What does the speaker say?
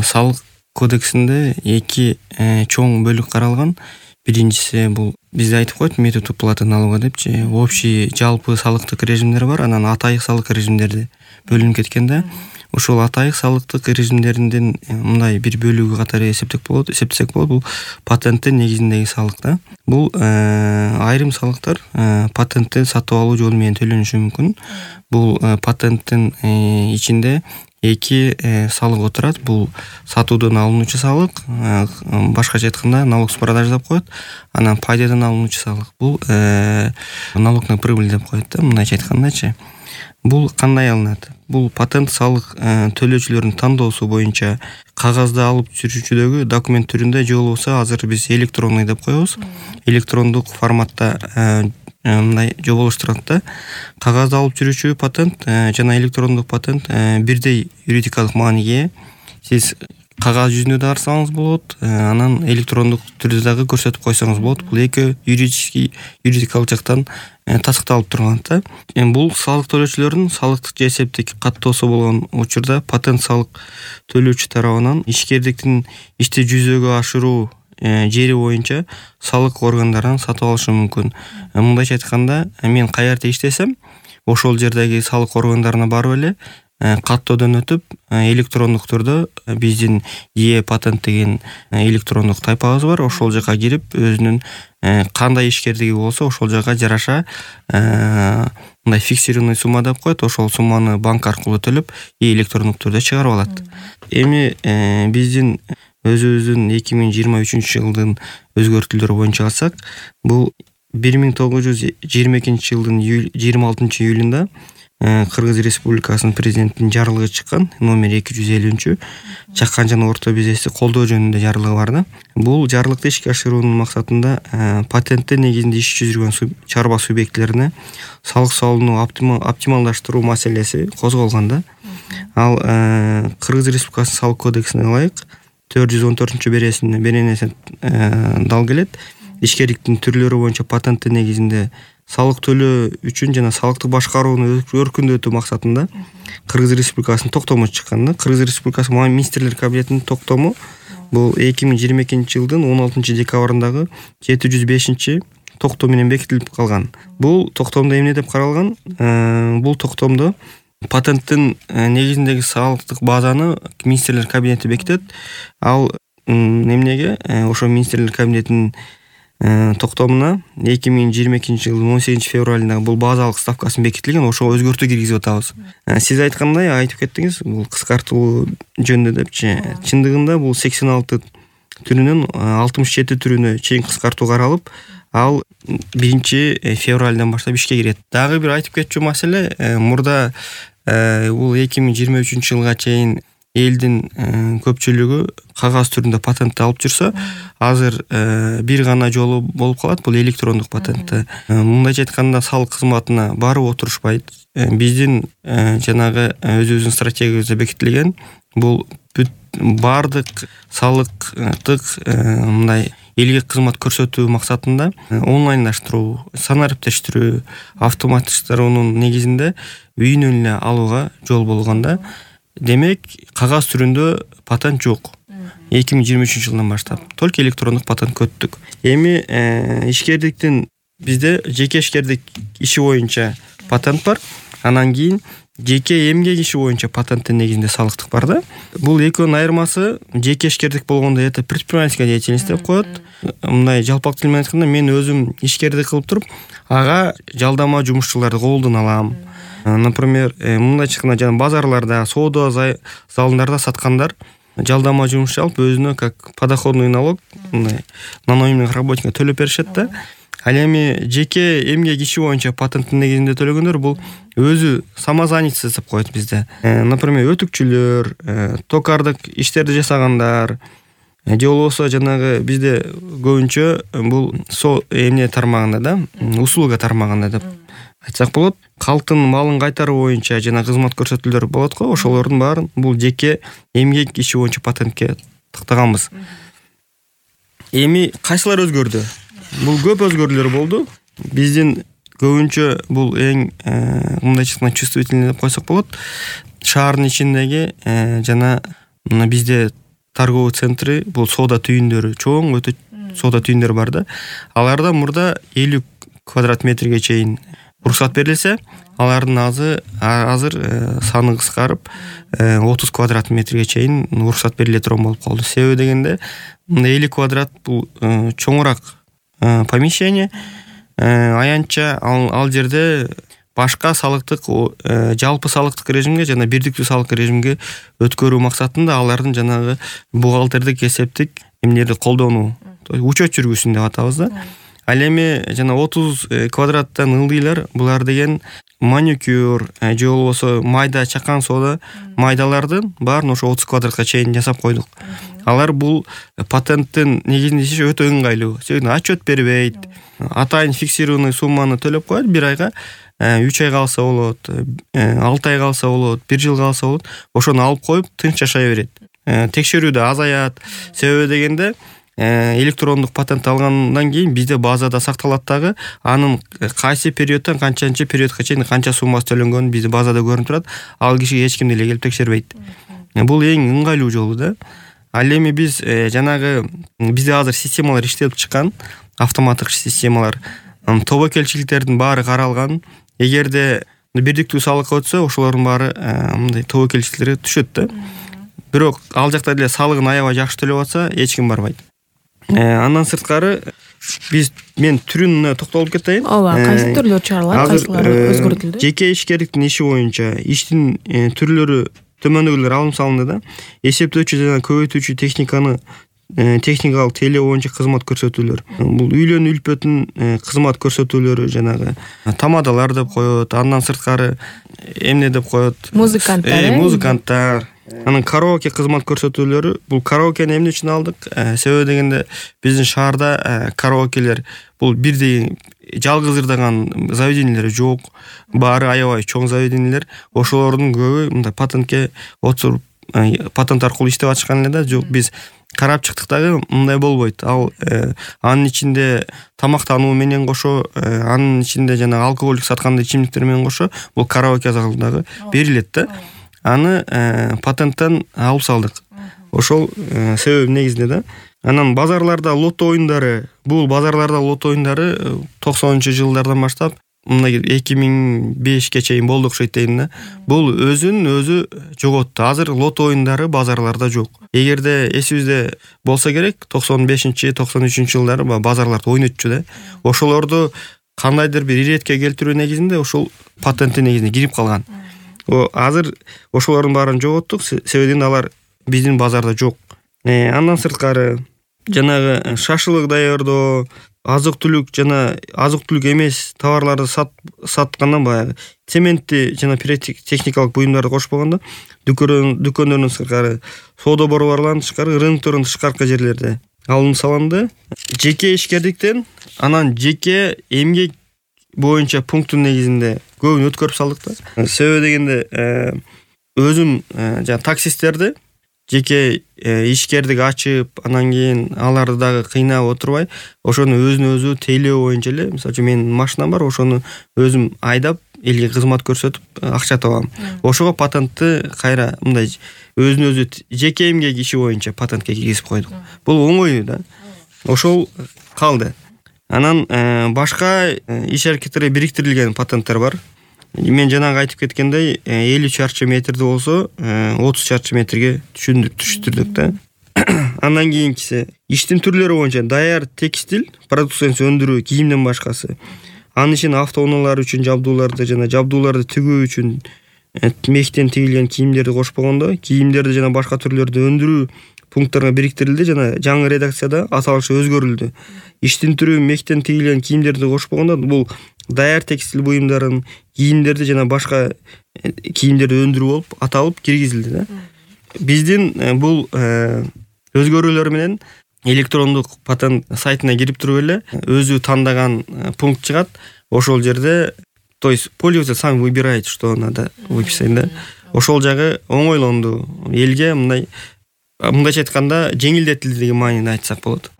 салык кодексинде эки чоң бөлүк каралган. Биринчиси бул бизде айтып коет метод уплаты налога депчи. Общий жалпы салыктык режимдер бар, анан атайык салык режимдери бөлүнүп кеткен да. Ошол атайык салыктык режимдеринин мындай бир бөлүгү катары эсептесек болот. Бул патенттин негизиндеги салык да. Бул айрым салыктар патентти сатып алуу жолу менен төлөнүшү мүмкүн. Бул патенттин ичинде эки салык отурат. Бул сатуудан алынуучу салык, башкача айтканда налог с продажи деп коет. Анан пайдадан алынуучу салык. Бул налог на прибыль деп коет да, мындайча айткандачы. Бул кандай алынат? Бул патент салык төлөөчүлөрдүн тандоосу боюнча кагазда алып жүрүүчүдөгү документ түрүндө же болбосо азыр биз электронный деп коебуз. Электрондук форматта мындай жоболоштурат да. Кагазда алып жүрүүчү патент жана электрондук патент бирдей юридикалык мааниге. Сиз кагаз жүзүндө да арсаңыз болот, анан электрондук түрдө дагы көрсөтүп койсоңуз болот. Бул эки юридикалык жактан тастыкталып турган да. Бул салык төлөөчүлөрдүн салыктык же эсептик каттоосу болгон учурда патент салык төлөөчү тарабынан ишкердиктин ишти жүзөгө ашыруу жери боюнча салык органдарынан сатып алышы мүмкүн. Мындайча айтканда, мен каерде иштесем, ошол жердеги салык органдарына барып эле каттоодон өтүп, электрондук түрдө биздин патент деген электрондук тайпабыз бар. Ошол жака кирип, өзүнүн кандай ишкердиги болсо, ошол жака жараша мындай фиксированный сумма деп коет. Ошол сумманы банк аркылуу төлөп, электрондук түрдө чыгарып алат. Эми биздин өзүбүздүн 2023 жылдын өзгөртүүлөрү боюнча алсак, бул 1922 жылдын 26 июлунда Кыргыз Республикасынын президентинин жарлыгы чыккан, номер 250. Чакан жана орто бизнести колдоо жөнүндө жарлыгы бар да. Бул жарлыкты ишке ашыруунун максатында патенттер негизинде иш жүзүргөн чарба субъектилерине салык салууну оптималдаштыруу маселеси козголгон да. Ал Кыргыз Республикасынын салык кодексине ылайык 414-беренеси дал келет. Ишкерликтин түрлөрү боюнча патенттин негизинде салык төлөө үчүн жана салыктык башкарууну өркүндөтүү максатында Кыргыз Республикасынын токтому чыккан да. Кыргыз Республикасы министрлер кабинетинин токтому бул 2022 жылдын 16 декабрындагы 705 токтом менен бекитилип калган. Бул токтомдо эмне деп каралган? Бул токтомдо патенттин негизиндеги салыктык базаны министрлер кабинети бекитет. Ал эмнеге? Ошо министрлер кабинетинин токтомуна 2022 жылдын 18 февралындагы бул базалык ставкасын бекитилген, ошого өзгөртүү киргизип атабыз. Сиз айткандай айтып кеттиңиз, бул кыскартуу жөнүндө депчи. Чындыгында бул 86 түрүнөн 67 түрүнө чейин кыскартуу каралып, ал 1 февралдан баштап ишке кирет. Дагы бир айтып кетчү маселе, мурда бул 2023 жылга чейин элдин көпчүлүгү кагаз түрүндө патентти алып жүрсө, азыр бир гана жолу болуп калат, бул электрондук патентти. Мындайча айтканда салык кызматына барып отурушпайт. Биздин жанагы өзүбүздүн стратегиябызда бекитилген бул бардык салыктык мындай элге кызмат көрсөтүү максатында онлайндаштыруу, санариптештирүү, автоматташтыруунун негизинде үйүнөн эле алууга жол болгон да. Демек, кагаз түрүндө патент жок. 2023 жылдан баштап только электрондук патент көттүк. Эми ишкердиктин бизде жеке ишкердик иши боюнча патент бар. Анан кийин жеке эмгек иши боюнча патенттин негизинде салыктык бар да. Бул экөөнүн айырмасы, жеке ишкердик болгондо это предпринимательская деятельность деп коет. Мындай жалпак тил менен айтканда, мен өзүм ишкердик кылып туруп, ага жалдама жумушчуларды колдон алам. Например, мындайча айтканда, жана базарларда, соода залдарында саткандар жалдама жумушчу алып, өзүнө как подоходный налог, мындай наноимных работников төлөп беришет да. Ал эми жеке эмгек иши боюнча патенттин негизинде төлөгөндөр бул өзү самозанятость деп коет бизде. Например, өтүкчүлөр, токардык иштерди жасагандар, же болбосо жанагы бизде көбүнчө бул эмне тармагында да, услуга тармагында деп айтсак болот. Калктын малын кайтаруу боюнча жана кызмат көрсөтүүлөр болот го, ошолордун баарын бул жеке эмгек иши боюнча патентке тактаганбыз. Эми кайсылар өзгөрдү? Бул көп өзгөрүүлөр болду. Биздин көбүнчө бул эң мындайча айтканда чувствительный деп койсок болот. Шаардын ичиндеги жана мына бизде торговый центри, бул соода түйүндөрү, чоң өтө соода түйүндөрү бар да. Аларда мурда 50 квадрат метрге чейин уруксат берилсе, алардын азыр саны кыскарып 30 квадрат метрге чейин уруксат бериле турган болуп калды. Себеби дегенде 50 квадрат бул чоңураак помещение, аянтча ал жерде башка салыктык, жалпы салыктык режимге жана бирдиктүү салык режимге өткөрүү максатында алардын жанагы бухгалтердик эсептик эмнелерди колдонуу, учет жүргүзсүн деп атабыз да. Ал эми жана 30 квадраттан ылдыйлар, булар деген маникюр же болбосо майда чакан соода майдалардын баарын ошо 30 квадратка чейин жасап койдук. Алар бул патенттин негизинде иши өтө ыңгайлуу. Себеби отчет бербейт. Атайын фиксированный сумманы төлөп коет, 1 айга 3 ай калса болот, 6 ай калса болот, 1 жыл калса болот. Ошону алып коюп тынч жашай берет. Текшерүү да азаят. Себеби дегенде электрондук патент алгандан кийин бизде базада сакталат дагы, анын кайсы периодтон канчанчы периодко чейин канча суммасы төлөнгөнү бизде базада көрүнүп турат. Ал киши эч ким деле келип текшербейт. Бул эң ыңгайлуу жолу да. Ал эми биз жанагы бизде азыр системалар иштелип чыккан, автоматтык системалар, тобокелчиликтердин баары каралган. Эгерде бирдиктүү салыкка өтсө, ошолордун баары мындай тобокелчиликтери түшөт да. Бирок ал жакта деле салыгын аябай жакшы төлөп атса, эч ким барбайт. Андан сырткары мен түрүнө токтолуп кетейин. Ооба, кайсы түрлөр чыгарылат, кайсылары өзгөртүлдү? Жеке ишкерликтин иши боюнча иштин түрлөрү төмөндөгүлөр алым салынды да. Эсептөөчү жана көбөйтүүчү техникалык теле боюнча кызмат көрсөтүүлөр. Бул үйлөнүү үлпөтүн кызмат көрсөтүүлөрү, жанагы тамадалар деп коет, андан сырткары эмне деп коет? Музыканттар. Анын караоке кызмат көрсөтүүлөрү. Бул караокени эмне үчүн алдык? Себеби дегенде биздин шаарда караокелер бул бирдей жалгыз ырдаган заведениелер жок. Баары аябай чоң заведениелер. Ошолордун көбү мындай патентке отуруп, патент аркылуу иштеп атышкан эле да. Жок, биз карап чыктык дагы, мындай болбойт. Ал анын ичинде тамактануу менен кошо, анын ичинде жана алкоголдук сатканда ичимдиктер менен кошо бул караоке залы дагы берилет да. Аны патенттен алып салдык. Ошол себеби негизинде да. Анан базарларда лото оюндары, бул базарларда лото оюндары 90-жылдардан баштап мындай 2005ке чейин болду окшойт дейм да. Бул өзүн өзү жоготту. Азыр лото оюндары базарларда жок. Эгерде эсибизде болсо керек, 95-93 жылдары базарларда ойнотчу да. Ошолорду кандайдыр бир иретке келтирүү негизинде ошол патенттин негизине кирип калган. Азыр ошолордун баарын жоготтук, себеби алар биздин базарда жок. Андан сырткары жанагы шашлык даярдоо, азык-түлүк жана азык-түлүк эмес товарларды саткандан баягы цементти жана пиротехникалык буюмдарды кошпогондо дүкөндөрдүн сырткары, соода борборлорунун тышкары, рыноктордун тышкаркы жерлерде алым салынды. Жеке ишкерликтен анан жеке эмгек боюнча пункттун негизинде көбүн өткөрүп салдык да. Себеби дегенде өзүм жана таксисттерди жеке ишкердик ачып, анан кийин аларды дагы кыйнап отурбай, ошону өзүнө өзү тейлөө боюнча эле, мисалы үчүн менин машинам бар, ошону өзүм айдап элге кызмат көрсөтүп акча табам. Ошого патентти кайра мындай өзүнө өзү жеке эмгек иши боюнча патентке киргизип койдук. Бул оңой да. Ошол калды. Анан башка иш аракеттери бириктирилген патенттер бар. Мен жанагы айтып кеткендей, 50 чарчы метрде болсо 30 чарчы метрге түшүндүрдүк да. Андан кийинкиси иштин түрлөрү боюнча даяр текстиль продукциясын өндүрүү, кийимден башкасы. Анын ичинде автоунаалар үчүн жабдууларды жана жабдууларды тигүү үчүн мехтен тигилген кийимдерди кошпогондо, кийимдерди жана башка түрлөрдү өндүрүү пункттарга бириктирилди жана жаңы редакцияда аталышы өзгөрүлдү. Иштин түрү мехтен тигилген кийимдерди кошпогондо, бул даяр текстиль буюмдарын, кийимдерди жана башка кийимдерди өндүрүү болуп аталып киргизилди да. Биздин бул өзгөрүүлөр менен электрондук патент сайтына кирип туруп эле өзү тандаган пункт чыгат. Ошол жерде, то есть пользователь сам выбирает, что надо выписать да. Ошол жагы оңойлонду. Элге мындайча айтканда жеңилдетилди деген мааниде айтсак болот.